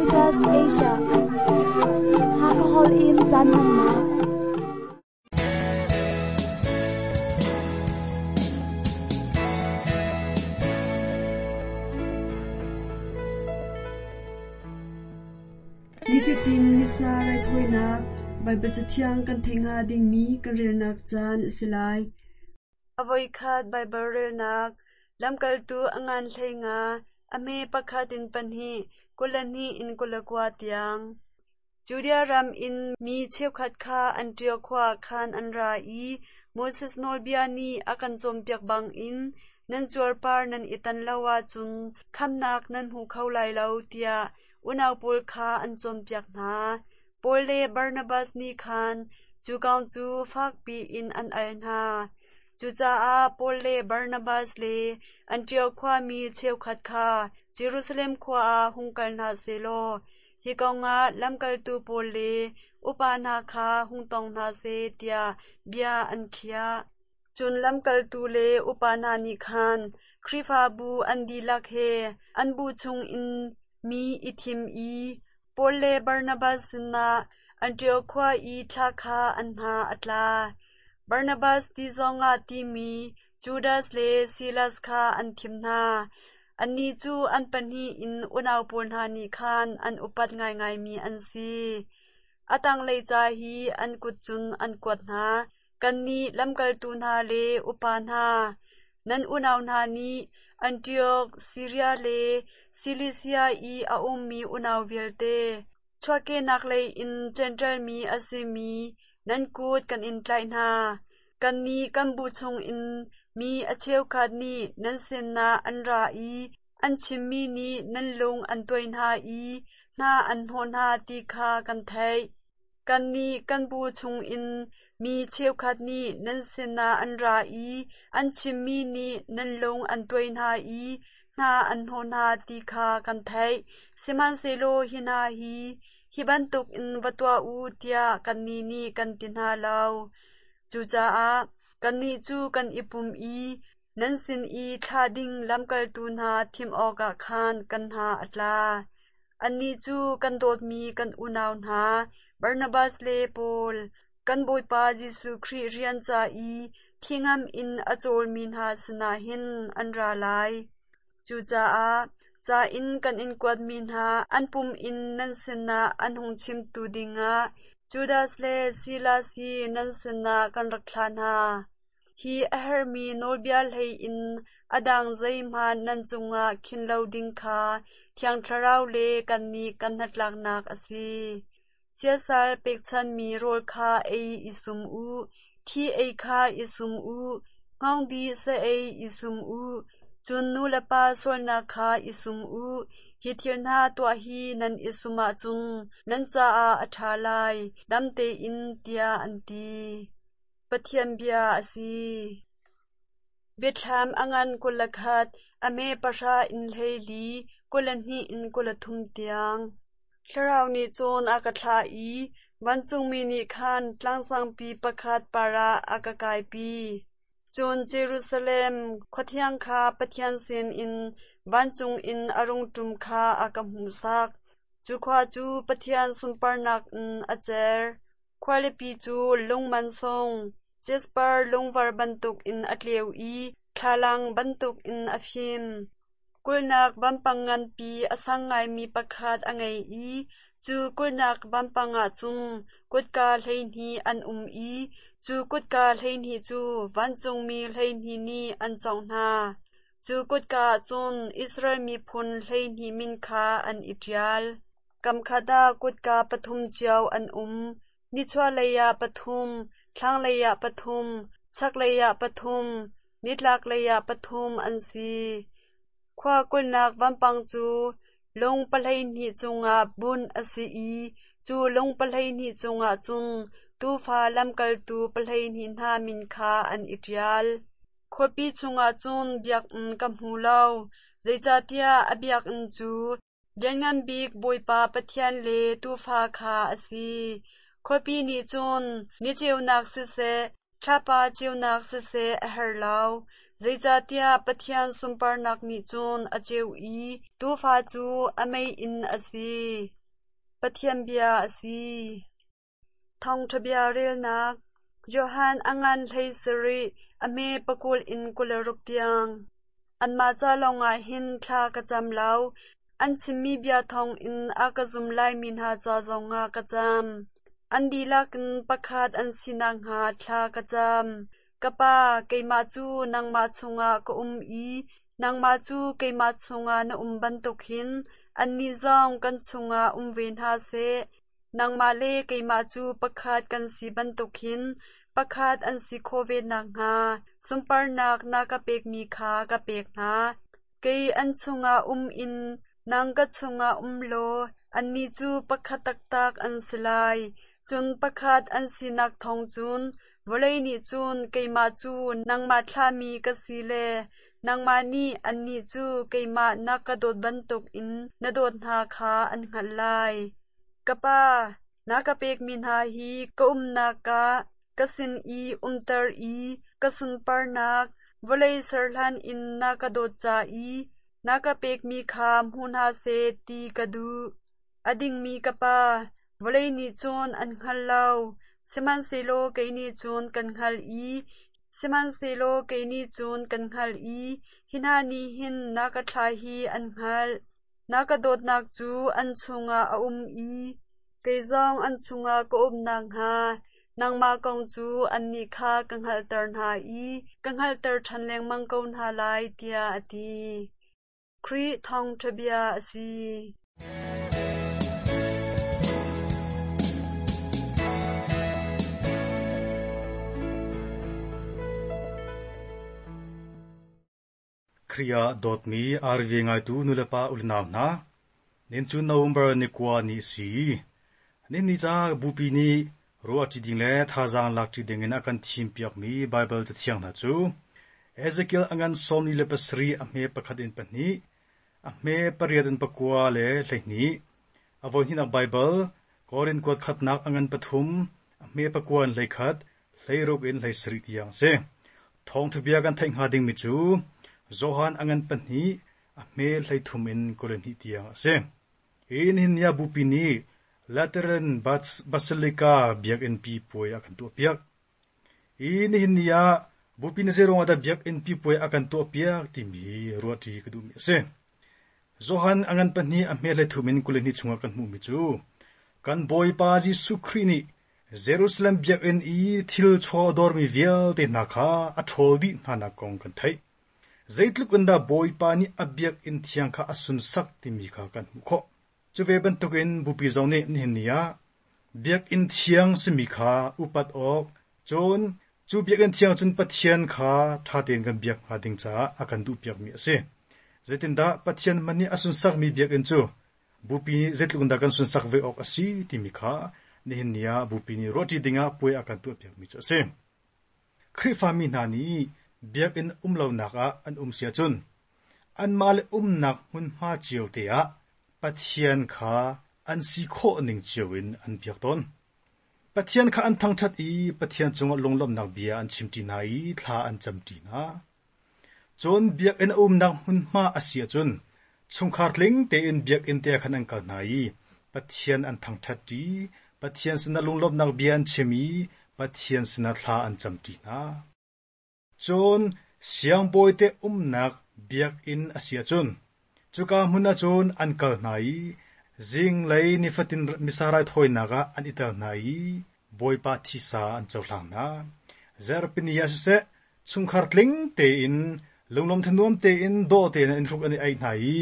Adventist Asia. Hakha holh in caan hmannak. Nifatin Missa raithawinak Baibal Cathiang kan theih hnga dingmi kan relnak caan a si lai. A voikhat Baibal relnak Lamkaltu a ngan 15, a hme pakhat in pahnih, 22 in 29 tiang. Judea ram in mi cheukhat kha Antiok khua ah khan an ra i Moses nawlbia nih a kan cawnpiak bangin nan cuarpar nan i tan lo ahcun khamhnak nan hmu kho lai lo tiah unau pawl kha an cawnpiak hna. Paul le Barnabas nih khan cu kong cu fakpi in an al hna. Cucaah Paul le Barnabas le Antiok khuami cheukhat kha Jerusalem khua ah hung kal hna seh law hi kongah lamkaltu pawl le upa hna kha hung tong hna seh tiah bia an khiah. Cun lamkaltu le upa hna nih khan Khrihfabu an dihlak he an bu chungin mi i thim i Paul le Barnabas sinah Antiok khua i thla kha an hna a tla. Barnabas ti zongah timi Judas le Silas kha an thim hna. Annih cu an pahnih in unau pawl hna nih khan an upat ngaingaimi an si. A tanglei ca hi an kut cun an kuat hna. Kannih lamkaltu hna le upa hna, nan unau hna nih Antiok, Siria le Silisia i a ummi unau vialte, chuahkehnak lei in Jentail mi a simi nan kut kan in tlaih hna. Kannih kan bu chungin mi a cheukhat nih nan sinah an ra i an chimmi nih nan lung an tuai hna i hna an hnawh hna ti kha kan theih. Kannih kan bu chungin mi cheukhat nih nan sinah an ra i an chimmi nih nan lung an tuai hna i hna an hnawh hna ti kha kan theih. Sihmanhsehlaw hi hna hi hi bantukin va tuah u tiah kannih nih kan ti hna lo. Cucaah kannih cu kan i pum i nan sin i thlah ding lamkaltu hna thim awkah khan kan hna a tla. Annih cu kan dawtmi kan unau hna Barnabas le Paul, kan Bawipa Jesuh Khrih rian ca i thingam in a cawlmi hna sinah hin an ra lai. Cucaah ca in kan in kuatmi hna an pum in nan sinah an hung chimtu dingah Judas le Silas hi nan sinah kan rak thlah hna. Hi a herhmi nawlbia hlei in a dang zeihmanh nan cungah khin lo ding kha Thiang Thlarau le kannih kan hnatlaknak a si. Siasal pekchanhmi rawl kha ei i sum u, thi ei kha i sum u, hngawngdih sa ei i sum u, cun nu le pa sualnak kha i sum u. Hi thil hna tuah hi nan i sum ahcun nan caah a ṭha lai, dam tein, tiah an ti. Pathian bia a si. Biathlam a ngan 21, a me pahra in 14, 22 in 23 tiang. Thlarau nih cun a ka thlah i vancungmi nih khan tlangsangpi pakhat par ah a ka kaipi. Cun Jerusalem khuathiang kha Pathian sinin vancung in a rung ṭum kha a ka hmuhsak. Cu khua cu Pathian sunparnak in a cer. Khualipi cu lung mansung, jasper lungvar bantukin a tleu i thlalang bantukin a fim. Kulhnak vampang nganpi a sang ngaimi pakhat a ngei i cu kulhnak vampang ah cun kutka 12 an um i cu kutka 12 cu vancungmi 12 nih an cawngh hna. Cu kutka ah cun Israel miphun 12 min kha an i ṭial. Kamkhat ah kutka pathum cio an um, nichuahlei ah pathum, thlanglei ah pathum, chaklei ah pathum, nitlaklei ah pathum an si. Khua kulhnak vampang cu lung pahleihnih cungah bunh a si i cu lung pahleihnih cungah cun Tuufa lamkaltu pahleihnih hna min kha an i ṭial. Khuapi chungah cun biakinn ka hmu lo, zeicahtiah a biakinn cu Lianngan Bik Bawipa Pathian le Tuufa kha a si. Khuapi nih cun ni ceunak siseh, thlapa ceunak siseh a herh lo. Zeicahtiah Pathian sunparnak nih cun a ceu i Tuufa cu a meiinn a si. Pathian bia a si. Thawngṭha bia relnak Johan a ngan 17, a hme pakul in 26 tiang. Anmah ca lawngah hin thla ka cam lo, an chimmi bia thawngin a ka zum laimi hna ca zongah ka cam. An dihlak in pakhat an si nakhnga thla ka cam. Ka Pa, keimah cu nangmah chungah ka um i nangmah cu keimah chungah na um bantuk hin annih zong kan chungah um ve hna seh. Nangmah le keimah cu pakhat kan si bantuk hin pakhat an si khawh ve nakhnga sunparnak na ka pekmi kha ka pek hna. Kei an chungah um in nang ka chungah um law annih cu pakhat taktak an si lai. Cun pakhat an sinak thawng cun vawlei nih cun keimah cu nangmah thlahmi ka si le nangmah nih annih cu keimah na ka dawt bantukin na dawt hna kha an hngalh lai. Ka Pa, na ka pekmi hna hi ka umnak ah ka sin i umter i ka sunparnak vawlei ser hlan in na ka dawt ca i na ka pekmi kha hmu hna seh ti ka duh. A dingmi ka Pa, vawlei nih cun an hngal lo, sihmanhsehlaw kei nih cun kan hngalh i sihmanhsehlaw kei nih cun kan hngalh i hi hna nih hin na ka thlah hi an hngalh. Na ka dawtnak cu an chungah a um i kei zong an chungah ka um nakhnga nangmah kong cu annih kha ka hngalhter hna i ka hngalhter ṭhan lengmang ko hna lai, tiah a ti. Khrih thawngṭha bia a si. Khrih ah dawtmi RV ngaitu nulepa ulenau hna, nin cu November ni kua ni a si. Nin ni ca bupi nih ruahṭi ding le thazaang lakṭi ding in a kan thimpiakmi Baibal Cathiang hna cu Ezekiel a ngan 47 a hme pakhat in pahnih, a hme pariat in pakua le 12, a voihnihnak Baibal Korin kuat khatnak a ngan pathum, a hme pakua in 11, 16 in 17 tiang a si. Thawngṭha bia kan theih hnga dingmi cu Johan a ngan pahnih, a hme 33 in 22 tiang a si. Hi nihin ni ah Bupi nih Lateran Basilica biakinnpi puai a kan tuahpiak. Hi nihin ni ah Bupi nih zeiruang ah dah biakinnpi puai a kan tuahpiak timi hi ruahṭi ka duhmi a si. Johan a ngan pahnih a hme 33 in 22 chungah kan hmuhmi cu kan Bawipa Jesuh Khrih nih Jerusalem biakinn i thil chaw a dawrmi vialte hna kha a ṭhawl dih hnanak kong kan theih. Zeitluk in dah Bawipa nih a biakinn thiang kha a sunsak timi kha kan hmuh khawh. Cu ve bantukin Bupi zong nih nihin ni ah biakinn thiang simi kha upat awk, cun cu biakinn thiang cun Pathian kha ṭha tein kan biak hnga ding caah a kan duhpiakmi a si. Zeitindah Pathian hmanh nih a sunsakmi biakinn cu Bupi nih zeitluk in dah kan sunsak ve awk a si timi kha nihin ni ah Bupi nih ruahṭi dingah puai a kan tuahpiakmi cu a si. Khrihfami hna nih biakinn um lonak ah an um si ahcun anmah le umnak hmunhma cio te ah Pathian kha an si khawh ning cio in an biak tawn. Pathian kha an thangṭhat i Pathian cungah lunglawmhnak bia an chimṭi hna i thla an camṭi hna. Cun biakinn a umnak hmunhma a si ahcun chungkhar tling tein biakinn te ah khan an kal hna i Pathian an thangṭhatṭi, Pathian sinah lunglawmhnak bia an chim i Pathian sinah thla an camṭi hna. Cun siangbawite umnak biakinn a si ahcun cuka hmun ah cun an kal hna i zinglei nifatin Missa raithawinak ah an i tel hna i Bawipa thisa an cohlang hna. Zarhpini ah siseh, chungkhar tling tein lunglawm thanuam tein dawh tein an hruk an i aih hna i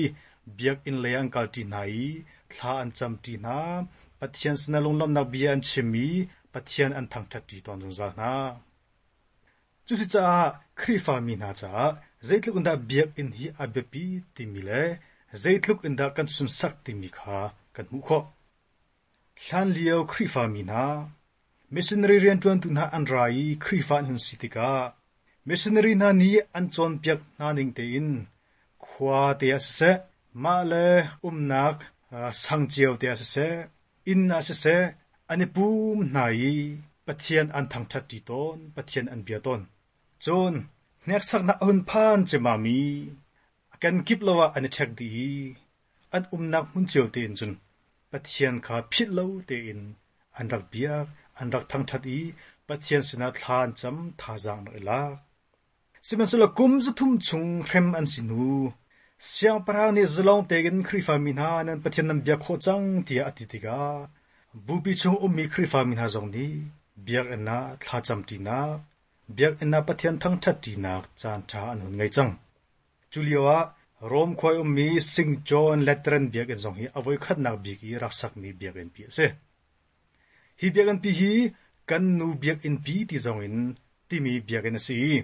biakinn lei ah an kalṭi hna i thla an camṭi hna. Pathian sinah lunglawmhnak bia an chim i Pathian an thangṭhatṭi tawn zungzal hna. Cusicaah Khrihfami hna caah zeitluk in dah biakinn hi a biapi timi le zeitluk in dah kan sunsak timi kha kan hmuh khawh. Hlanlio Khrihfami hna, missionary rianṭuantu hna an ra i Khrihfa an hun si tikah missionary hna nih an cawnpiak hna ning tein khua te ah siseh, mah le umnak sang cio te ah siseh, inn ah siseh, an i pum hna i Pathian an thangṭhatṭi tawn, Pathian an bia tawn. Cun. Hneksaknak a hun phan ciammam i a kenkip lo ah an i ṭhek dih i an umnak hmun cio tein cun Pathian kha philh lo tein an rak biak, an rak thangṭhat i Pathian sinah thla an cam, thazaang an rak i lak. Sihmanhsehlaw kum 300 chung hrem an si hnu, siangpahrang nih zalong tein Khrihfa mi hna nan Pathian nan biak khawh cang tiah a ti tikah bupi chung ummi Khrihfa mi hna zong nih biakinn ah thlacamṭinak, biakinn ah Pathian thangṭhatṭinak caanṭha an hun ngei cang. Cu lioah Rom khua i ummi St. John Lateran biakinn zong hi a voikhatnak bik i rak sakmi biakinnpi a si. Hi biakinnpi hi kan nu biakinnpi ti zong in timi biakinn a si i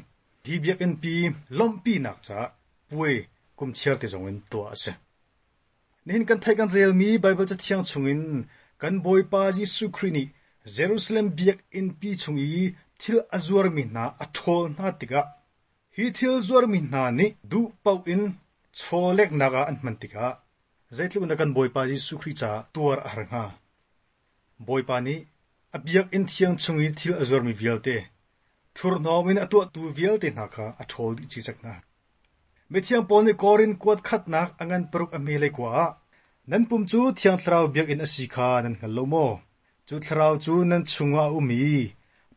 hi biakinnpi lawmhpinak caah puai kumchiar ti zong in tuah a si. Nihin kan theih kan relmi Baibal Cathiang chungin kan Bawipa Jesuh Khrih nih Jerusalem biakinnpi chung i thil a zuarmi hna a ṭhawl hna tikah hi thil zuarmi hna nih duh paoh in chawleknak ah an hman tikah zeitluk in dah kan Bawipa Jesuh Khrih caah tuar a har hnga. Bawipa nih a biakinn thiang chung i thil a zuarmi vialte, thurhnawm in a tuahtu vialte hna kha a ṭhawl dih cikcek hna. Mithiang Paul nih Korin kuat khatnak a ngan paruk a hme lei kua ah, Nan pum cu Thiang Thlarau biakinn a si kha nan hngal lo maw? Cu Thlarau cu nan chungah a um i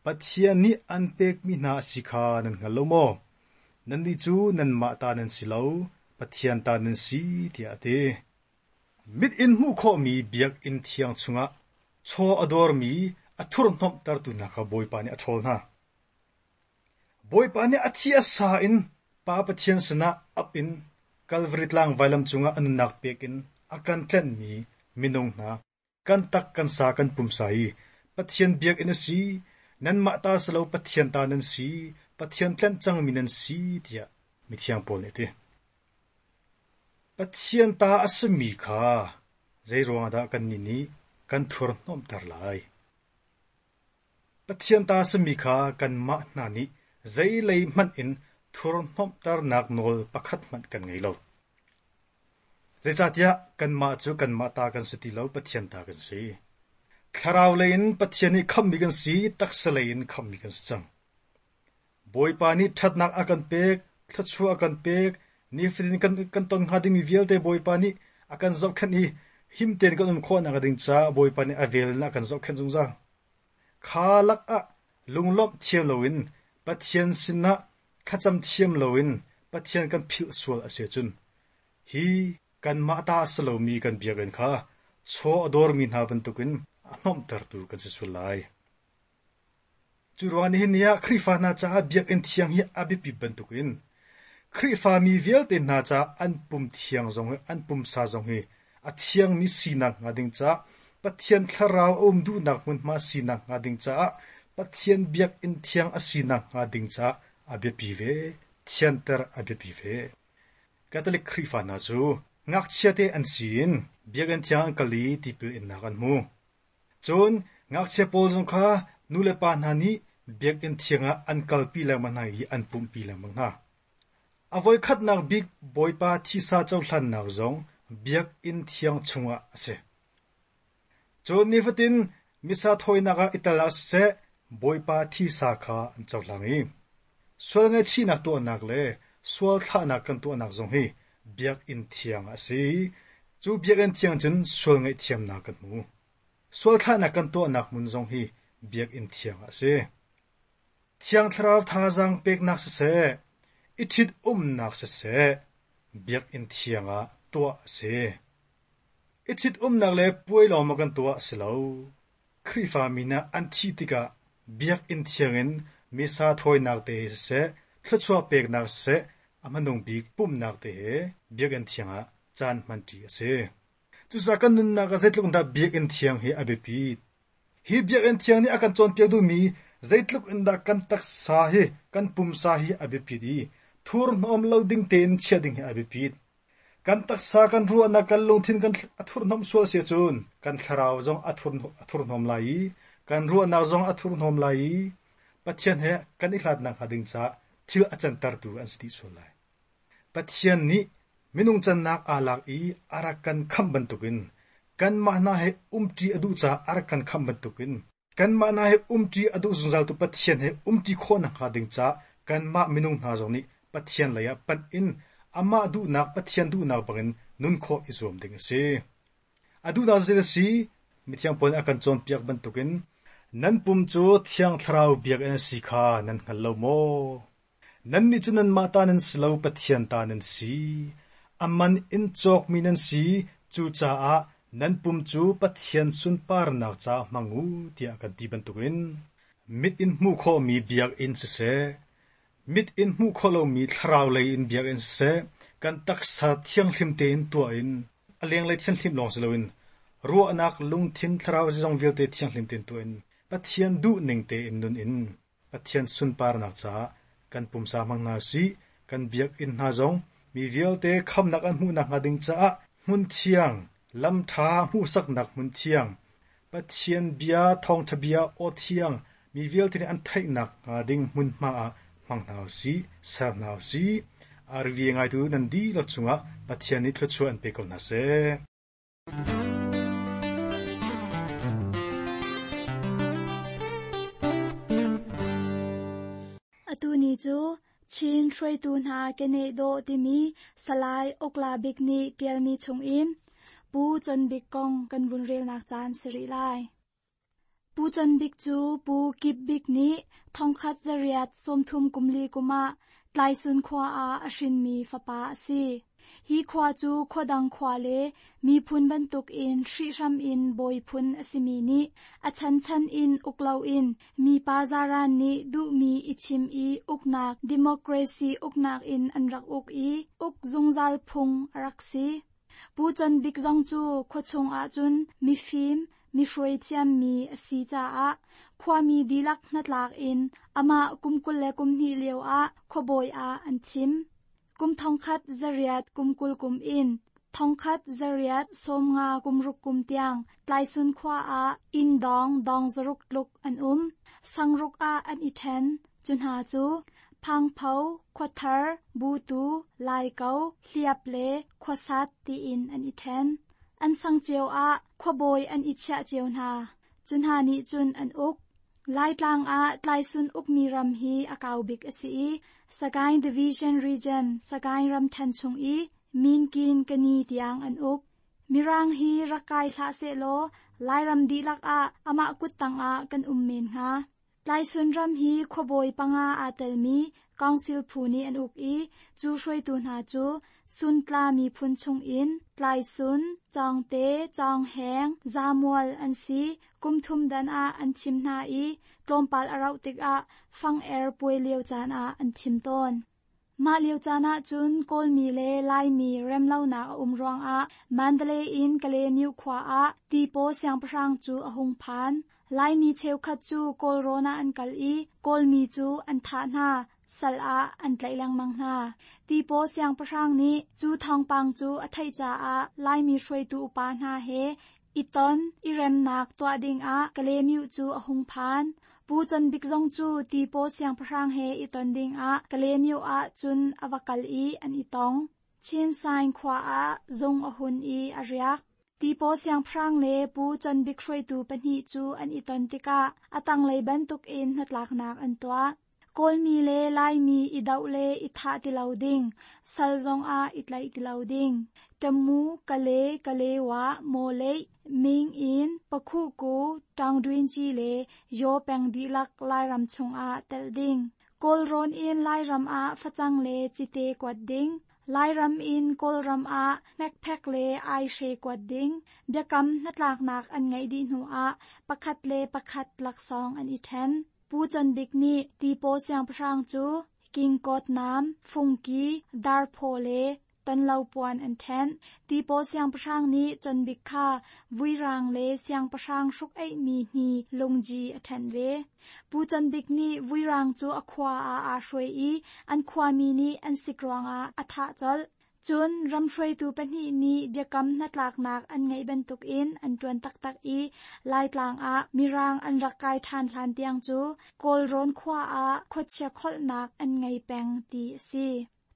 Pathian nih an pekmi hna a si kha nan hngal lo maw? Nannih cu nanmah ta nan si lo, Pathian ta nan si, tiah a ti. Mit in hmuh khawhmi biakinn thiang chungah chaw a dawrmi a thurhhnawmhtertu hna kha Bawipa nih a ṭhawl hna. Bawipa nih a thi a sa in Pa Pathian sinah ap in Kalvari tlang vailam cungah a nunnak pek in a kan tlenhmi minung hna kan tak kan sa kan pumsa hi Pathian biakinn a si, nanmah ta si lo Pathian ta nan si, Pathian tlenh cangmi nan si tiah mithiang Paul nih a ti. Pathian ta a simi kha zeiruangah dah kannih nih kan thurhnawmhter lai? Pathian ta a simi kha kanmah hna nih zeilei hmanh in thurhnawmhternak nawl pakhat hmanh kan ngei lo. Zeicahtiah kanmah cu kanmah ta kan si ti lo, Pathian ta kan si. Thlarau lei in Pathian nih khamhmi kan si, taksa lei in khamhmi kan si cang. Bawipa nih ṭhatnak a kan pek, thluachuah a kan pek, nifatin kan, kan ton hnga dingmi vialte Bawipa nih a kan zohkhenh i him tein kan um khawhnak ding caah Bawipa nih a vel in a kan zohkhenh zungzal. Kha lakah lunglawmh thiam loin Pathian sinah thlacam thiam loin Pathian kan philh sual a si ahcun hi kanmah ta a si lomi kan biakinn kha chaw a dawrmi hna bantukin a hnawmhtertu kan si sual lai. Cu ruangah nihin ni ah Khrihfa hna caah biakinn thiang hi a biapit bantukin Khrihfa mi vialte hna caah an pum thiang zong hi an pumsa zong hi a thiangmi sinak hnga ding caah Pathian thlarau a um duhnak hmunhma sinak hnga ding caah Pathian biakinn thiang a sinak hnga ding caah a biapi ve, thianter a biapi ve. Catholic Khrihfa hna cu ngakchiate an si in biakinn thiang an kal i tipil innak an hmu. Cun ngakchia pawl zong kha nulepa hna nih biakinn thiang ah an kalpi lengmang hna i an pumhpi lengmang hna. A voikhatnak bik Bawipa thisa cohlannak zong biakinn thiang chungah a si. Cun nifatin Missa thawinak ah i tel ah siseh Bawipa thisa kha an cohlang i sual ngaihchihnak tuahnak le sual thlahnak kan tuahnak zong hi biakinn thiang a si. Cu biakinn thiang cun sual ngaihthiamnak kan hmu. Sual thlahnak kan tuahnak hmun zong hi biakinn thiang a si. Thiang Thlarau thazaang peknak siseh, i ṭhit-umnak siseh, biakinn thiang ah tuah a si. I ṭhit-umnak le puai lawng maw kan tuah? Si lo. Khrihfa mi hna an thih tikah biakinn thiang in Missa thawinak te he siseh, thluachuah peknak siseh, a hmanung bik pumhnak te he biakinn thiang ah caan hmanṭi a si. Cucaah kan nunnak ah zeitluk in dah biakinn thiang hi a biapit? Hi biakinn thiang nih a kan cawnpiak duhmi zeitluk in dah kan taksa hi, kan pumsa hi a biapit i thurhnawm lo ding tein chiah ding hi a biapit. Kan taksa, kan ruahnak, kan lungthin kan a thurhnawmh sual si ahcun kan thlarau zong a, thur, a thurhnawm lai i kan ruahnak zong a thurhnawm lai i Pathian he kan i hlatnak hnga ding caah thil a cantertu an si dih sual lai. Pathian nih minung cannak aa lak i a rak kan khamh bantukin kanmah hna he umṭi a duh caah a rak kan khamh bantukin kanmah hna he umṭi a duh zungzaltu Pathian he umṭi khawh nakhnga ding caah kanmah minung hna zong nih Pathian lei ah panh in amah duhnak Pathian duhnak bangin nun khawh i zuam ding a si. A duhnak cu zeidah a si? Mithiang Paul nih a kan cawnpiak bantukin nan pum cu Thiang Thlarau biakinn a si kha nan hngal lo maw? Nannih cu nanmah ta nan si lo, Pathian ta nan si. A man in cawkmi nan si, cucaah nan pum cu Pathian sunparnak caah hmang u, tiah a kan ti bantukin mit in hmuh khawhmi biakinn siseh, mit in hmuh khawh lomi thlarau lei in biakinn siseh, kan taksa thianghlim tein tuah in a lenglei thianhlim lawng si loin ruahnak, lungthin, thlarau zeizong vialte thianghlim tein tuah in Pathian duhning tein nun in Pathian sunparnak caah kan pumsa hmang hna usih. Kan biakinn hna zong mi vialte khamnak an hmuh nakhnga ding caah hmun thiang, lam ṭha hmuhsaknak hmun thiang, Pathian bia, thawngṭha bia, aw thiang mi vialte nih an theih nakhnga ding hmunhma ah hmang hna usih, ser hna usih. RV ngaitu nan dihlak cungah Pathian nih thluachuah an pe ko hna seh. Atu ni cu Chin hruaitu hna keneh dawh timi Salai Ukla Bik nih ṭialmi chungin Pu Con Bik kong kan vun relnak caan si rih lai. Pu Con Bik cu Pu Kip Bik nih 1830 kum li kum ah Tlaisun khua ah a hrinmi fapa a si. Hi khua cu khuadang khua le miphun bantukin hrihhram in bawi phun a simi nih a chanchan in uk loin mipa zaran nih duhmi i chim i uknak democracy uknak in an rak uk i uk zungzal phung a rak si. Pu Con Bik zong cu khuachung ahcun mifim, mihruai thiammi a si caah khuami dihlak hnatlak in amah kum 22 lio ah khuabawi ah an thim. Kum 1820 kum 20 kum in 1850 kum ruk kum tiang Tlaisun khua ah inn dawng dawng zaruk tluk an um. Sangruk ah an i ṭhen. Cu hna cu Phangpho, Khuathar, Butu, Laiko, Hliap le Khuasat tiin an i ṭhen. An sang cio ah khuabawi an i chiah cio hna. Cu hna nih cun an uk. Laitlang ah Tlaisun ukmi ram hi a kau bik a si i Sagaing Division Region, Sagaing ramṭhen chung i Minkin Kani tiang an uk. Mirang hi rak kai hlah sehlaw Lairam dihlak ah amah kuttang ah kan um men hnga. Tlaisun ram hi khuabawi panga aa telmi council phu nih an uk i cu hruaitu hna cu Suntla miphun chungin Tlaisun, Cawngte, Cawngheng, Zamual an si. Kum thum dan ah an thim hna i tlawmpal a rauh tikah fang-er puai lio caan ah an thim tawn. Mah lio caan ahcun Kawlmi le Laimi remlonak a um ruangah Mandalay in Kalaymyo khua ah Tipaw siangpahrang cu a hung phan. Laimi cheukhat cu Kawlrawn ah an kal i Kawlmi cu an thah hna, sal ah an tlaih lengmang hna. Tipaw siangpahrang nih cu thawngpang cu a theih caah Laimi hruaitu upa hna he I ton, i remnak tuah dingah Kalaymyo cu a hung phan. Pu Con Bik zong cu Tipaw siangpahrang he i ton dingah Kalaymyo ah cun a va kal i an i tong. Chin Saing khua ah zung a hun i a riak. Tipaw siangpahrang le Pu Con Bik hruaitu pahnih cu an i ton tikah a tanglei bantukin hnatlaknak an tuah. Kawlmi le Laimi i doh le i thah ti lo ding, sal zongah i tlaih ti lo ding. Tamu, Kale, Kalewa, Mawleih, Mingin, Pakhuhku, Taungdwinci le Yaw peng dihlak Lairam chungah telh ding. Kawlrawn in Lairam ah facang le cite kuat ding. Lairam in Kawlram ah hmekphek le aihre kuat ding. Biakam hnatlaknak an ngeih dih hnuah pakhat le pakhat laksawng an i ṭhen. Pu Con Bik nih Tipaw siangpahrang cu kingkawt naam, fungki, darphaw le tonlo puan an ṭhenh. Tipaw siangpahrang nih Con Bik kha vuirang le siangpahrang hruk-eihmi hni lungji a ṭhenh ve. Pu Con Bik nih vuirang cu a khua ah aa hruai i an khuami nih an sik ruangah a thah colh. Cun ramhruaitu pahnih nih biakam hnatlaknak an ngeih bantukin an ṭuan taktak i Laitlang ah Mirang an rak kai ṭhan hlan tiang cu Kawlrawn khua ah khuachia kholhnak an ngei peng ti a si.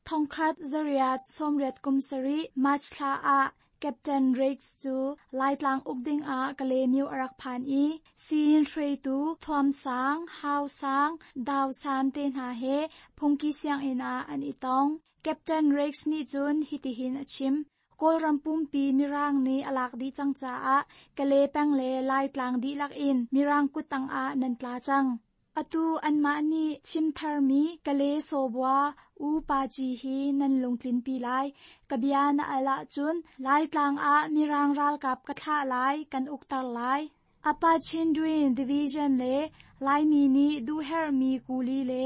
1887 March thla ah. Captain Riggs cu Laitlang uk dingah Kalaymyo a rak phan i Siyin hruaitu Thuam Sang, Hau Sang, Dau San te hna he phungki sianginn ah an i tong. Captain Riggs nih cun hitihin a chim. Kawlram pumpi Mirang nih a lak dih cang caah Kalay peng le Laitlang dihlak in Mirang kuttang ah nan tla cang. Atu anmah nih chim tharmi Kalay sawbua U Pa Ci hi nan lungtlinpi lai. Ka bia na al ahcun Laitlang ah Mirang ralkap ka thlah lai, kan ukter lai. Apa Chindwin Division le Laimi nih duhherhmi kuli le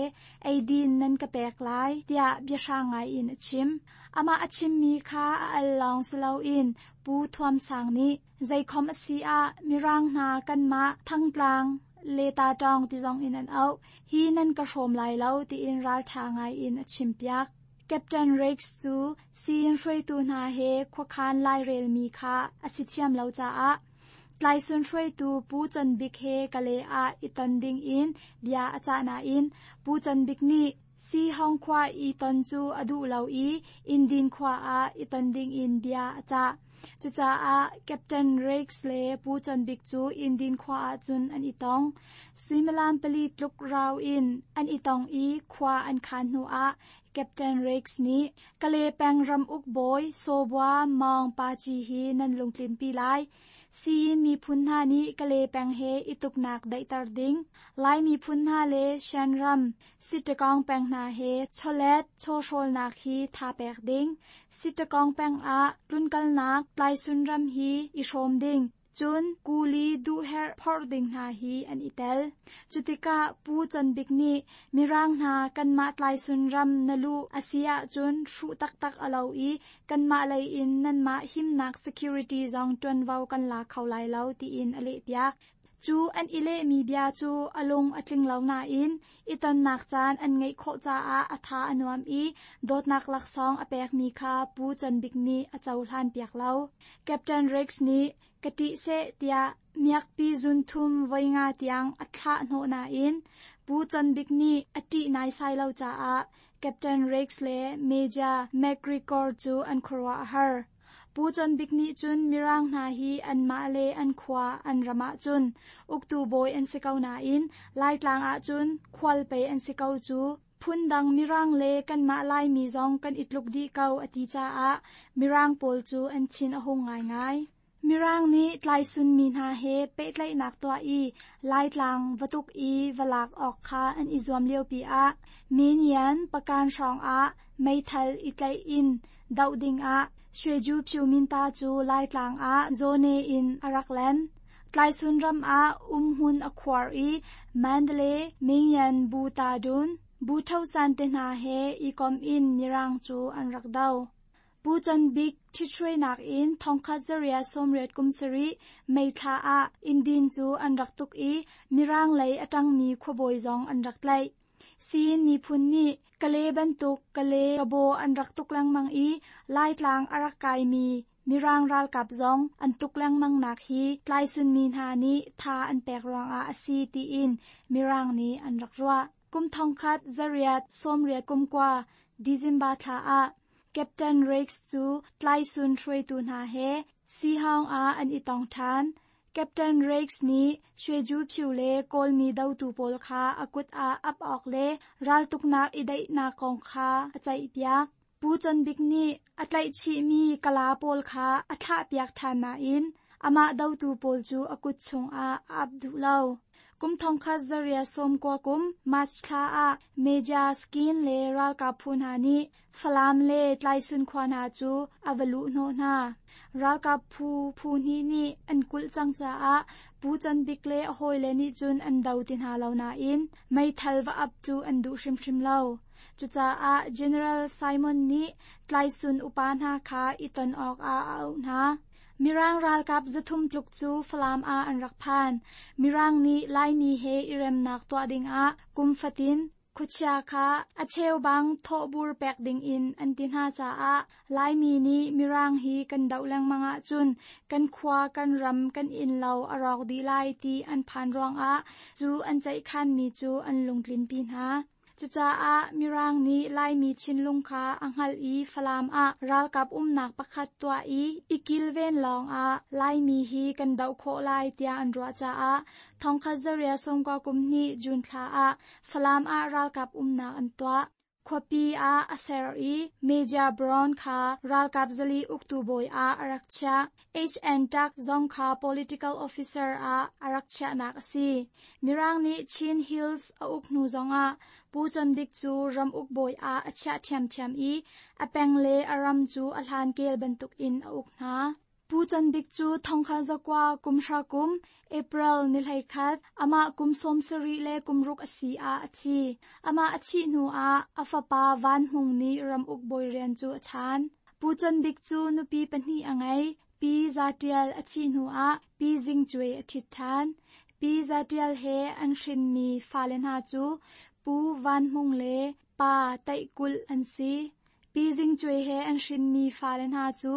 eidin nan ka pek lai, tiah biahrang ngaiin a chim. Amah a chimmi kha a al lawng si loin Pu Thuam Sang nih zeikhom a si ah Mirang hna kanmah Thangtlang le Tatawng ti zong in an auh hi nan ka hrawm lai lo tiin ralṭha ngaiin a chimpiak. Captain Riggs cu siin hruaitu hna he khuakhan lairelmi kha a si thiam lo caah Tlaisun hruaitu Pu Con Bik he Kalay ah i ton dingin bia a cah nain Pu Con Bik nih Sihong khua i ton cu a duh lo i Indin khua ah i ton dingin bia a cah. Cucaah Captain Riggs le Pu Con Bik cu Indin khua ah cun an i tong. Suimilam pali tluk rau in an i tong i khua an khaan hnuah Captain Riggs nih Kalay peng ramuk bawi Sawbua Maung Pa Ci hi nan lungtlinpi lai. Siyin miphun hna nih Kalay peng he i tuknak daihter ding, Lai miphun hna le Shan ram, Sittagong peng hna he chawlet chawhrawlnak hi tha pek ding, Sittagong peng ah tlunkalnak Tlaisun ram hi i hrawm ding, Cun kuli duhherh phorh ding hna hi an i tel. Cutikah Pu Con Bik nih Mirang hna kanmah Tlaisun ram na luh a si ahcun hruh taktak a lo i kanmah lei in nanmah himnak security zong ṭuanvo kan la kho lai lo tiin a lehpiak. Cu an i lehmi bia cu a lung a tling lo nain i tonnak caan an ngeih khawh caah a tha a nuam i dawtnak laksawng a pekmi kha Pu Con Bik nih a cohlanpiak lo. Captain Riggs nih ka ṭih seh tiah miakpi zunthum voi nga tiang a thlah hnawh nain Pu Con Bik nih a ṭih naisai lo caah Captain Riggs le Major McGregor cu an khuaruah a har. Pu Con Bik nih cun Mirang hna hi anmah le an khua an ram ahcun uktu bawi an si ko nain Laitlang ahcun khual pei an si ko cu. Phundang Mirang le kanmah Laimi zong kan i tluk dih ko a ti caah Mirang pawl cu an thin a hung ngaingai. Mirang nih tlaisunmi hna he pehtlaihnak tuah i Laitlang va tuk i va lak awk kha an i zuam liopi ah Minian pakan hrawngah meithal i tlaih in doh dingah Shweju Phyu-minta cu Laitlang ah Zone in a rak len. Tlaisun ram ah umhmun a khuar i Mandalay, Mingyan Bu Ta Dun, Bu Tho San te hna he i kom in Mirang cu an rak do. Pu Con Bik ṭhithruainak in 1887 May thla ah Indin cu an rak tuk i Mirang lei a ṭangmi khuabawi zong an rak tlaih. Siin miphun nih Kalay bantuk Kalay kabaw an rak tuk lengmang i Laitlang a rak kaimi Mirang ralkap zong an tuk lengmangnak hi tlaisunmi hna nih tha an pek ruangah a si tiin Mirang nih an rak ruah. Kum 1889 December thla ah Captain Riggs cu tlaisun hruaitu hna he Sihawng ah an i tong ṭhan. Captain Riggs nih Shweju Phyu le Kawlmi dotu pawl kha a kut ah ap awk le raltuknak i daihnak kong kha a ceihpiak. Pu Con Bik nih a tlaihchihmi Kala pawl kha a thlahpiak ṭhan nain amah dotu pawl cu a kut chungah a ap duh lo. Kum 1990 kum March thla ah Major Skin le ralkap phu hna nih Falam le Tlaisun khua hna cu a va luhhnawh hna. Ralkap phu phu hnih nih an kulh cang caah Pu Con Bik le a hawile nih cun an do ti hna lo nain meithal va ap cu an duh hrimhrim lo. Cucaah General Simon nih Tlaisun upa hna kha i ton awkah a auh hna. Mirang ralkap 300 tluk cu Falam ah an rak phan. Mirang nih Laimi he i remnak tuah dingah kum fatin khuachia kha a cheubang thawhbur pek dingin an ti hna caah Laimi nih Mirang hi kan doh lengmang ahcun kan khua kan ram kan innlo a rawk dih lai ti an phan ruangah cu an ceihkhanmi cu an lungtlinpi hna. Cucaah Mirang nih Laimi thinlung kha a hngalh i Falam ah ralkap umnak pakhat tuah i i kilven lawngah Laimi hi kan doh khawh lai tiah an ruah caah 1992 June thla ah Falam ah ralkap umnak an tuah. Khuapi ah a ser i Major Brown kha ralkap zali uktu bawi ah a rak chiah. HN Tuck zong kha political officer ah a rak chiahnak a si. Mirang nih Chin Hills a uk hnu zongah Pu Con Bik cu ramuk bawi ah a chiah ṭhiamṭhiam i a peng le a ram cu a hlankel bantukin a uk hna. Pu Con Bik cu 1900 kum hra kum April ni 11, amah kum 70 le kum ruk a si ah a thi. Amah a thih hnu ah a fapa Van Hmung nih ramuk bawi rian cu a chaan. Pu Con Bik cu nupi pahnih a ngei. Pi Za Ṭial a thih hnu ah Pi Zing Cuai a ṭhit ṭhan. Pi Za Ṭial he an hrinmi fale hna cu Pu Van Hmung le Pa Taih Kulh an si. Pi Zing Cuai he an hrinmi fale hna cu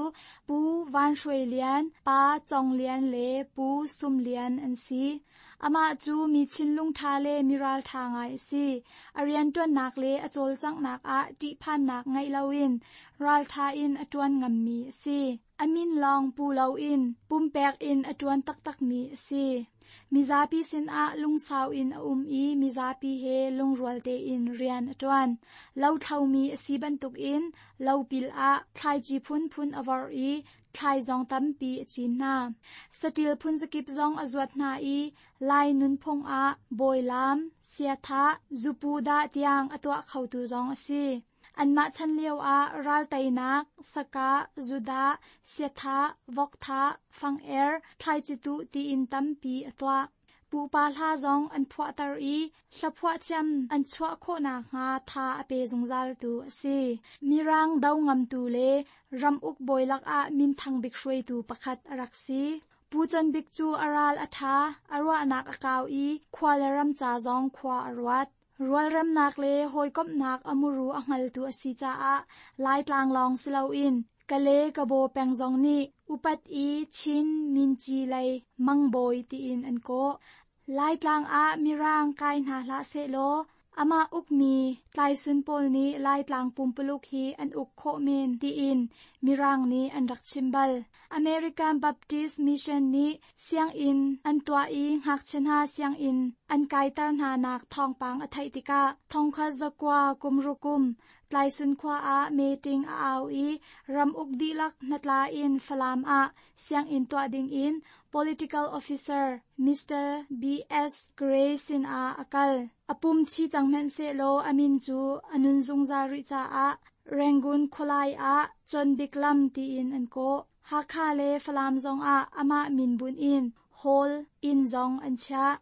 Pu Van Hruai Lian, Pa Cong Lian le Pu Sum Lian an si. Amah cu mi thinlung ṭha le mi ralṭha ngai a si. A rianṭuannak le a cawlcanghnak ah ṭihphannak ngeih loin ralṭha in a ṭuan ngammi a si. A min lawng pu loin pumpek in a ṭuan taktakmi a si. Mizapi sinah lungsau in a um i mizapi he lungrual tein rian a ṭuan. Lothlomi a si bantukin lopil ah thlaici phunphun a vorh i thlai zong tampi a cin hna. Saṭil phunzakip zong a zuat hna i Lai nunphung ah bawilaam, siathah, zupu dah tiang a tuah khotu zong a si. Anmah chan lioah ralteinak, sakah, zudah, siathah, vokthah, fang-er, thlaici tuh tiin tampi a tuah. Pupa hla zong an phuahter i hlaphuah thiam an chuah khawh nakhnga tha a pe zungzaltu a si. Mirang do ngamtu le ramuk bawi lakah minthang bik hruaitu pakhat a rak si. Pu Con Bik cu a ral a ṭha, a ruahnak a kau i khua le ram ca zong khua a ruat. Rualremnak le hawikomhnak a muru a hngaltu a si caah Laitlang lawng si loin Kale Kabaw peng zong nih upat i Chin Minci lei mangbawi tiin an kawh. Laitlang ah Mirang kai hna hlah sehlaw amah ukmi Tlaisun pawl nih Laitlang pumpuluk hi an uk khawh men tiin Mirang nih an rak chim bal. American Baptist Mission nih sianginn an tuah i ngakchia hna sianginn an kaiter hna nak thawngpang a theih tikah 1906 kum Tlaisun khua ah meeting a au i ramuk dihlak hnatla in Falam ah sianginn tuah dingin political officer Mr. B.S. Gray sinah a kal. A pum thi cang hmanhsehlaw a min cu a nun zungzal rih caah Rangoon khualai ah Con Bik Lam tiin an kawh. Hakha le Falam zongah amah min bunh in Hall inn zong an chiah.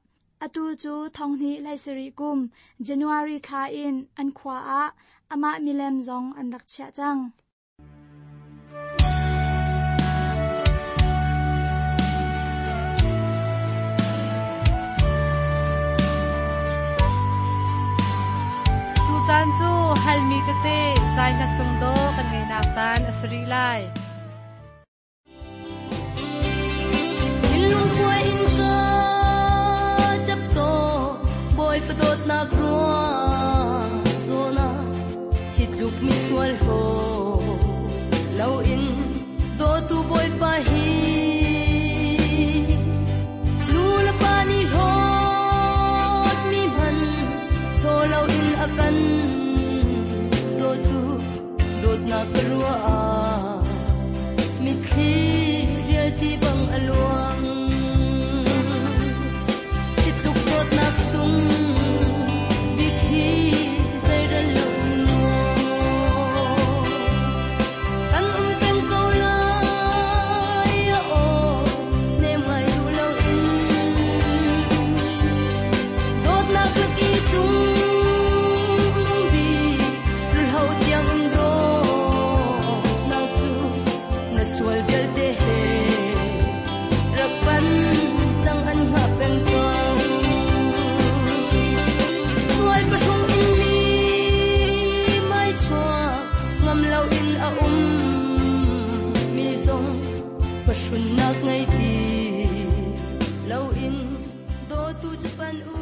Atu cu 2017 kum January thla in an khua ah amah milem zong an rak chiah cang. Tucaan cu halmi tete zai hla sung dawh kan ngeihnak caan a si rih lai. Thinlung kuai in ka ṭap tawn, Bawipa dawtnak ruang zawn ah hi tluk misual haw loin dawtu Bawipa hi. Nu le pa nih hlawtmi hmanh hlaw loin a kan dawtu dawtnak ka ruah ah mitthli rialti bang a luang. Hi tluk dawtnak sung bik hi zeirel lo maw? Kan um peng ko lai, aw, nem ngai duh loin. Dawtnak lak i chung bik rulho tiang in dawtnak cu na sual vialte he rak pan cang an hngah peng ko. Sual pahrung in mi mai chuak ngam loin a um mi zong pahrunnak ngei ti loin dawtu cu pan u.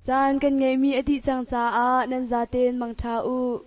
Caan kan ngeihmi a dih cang caah nan zaten mangṭha u.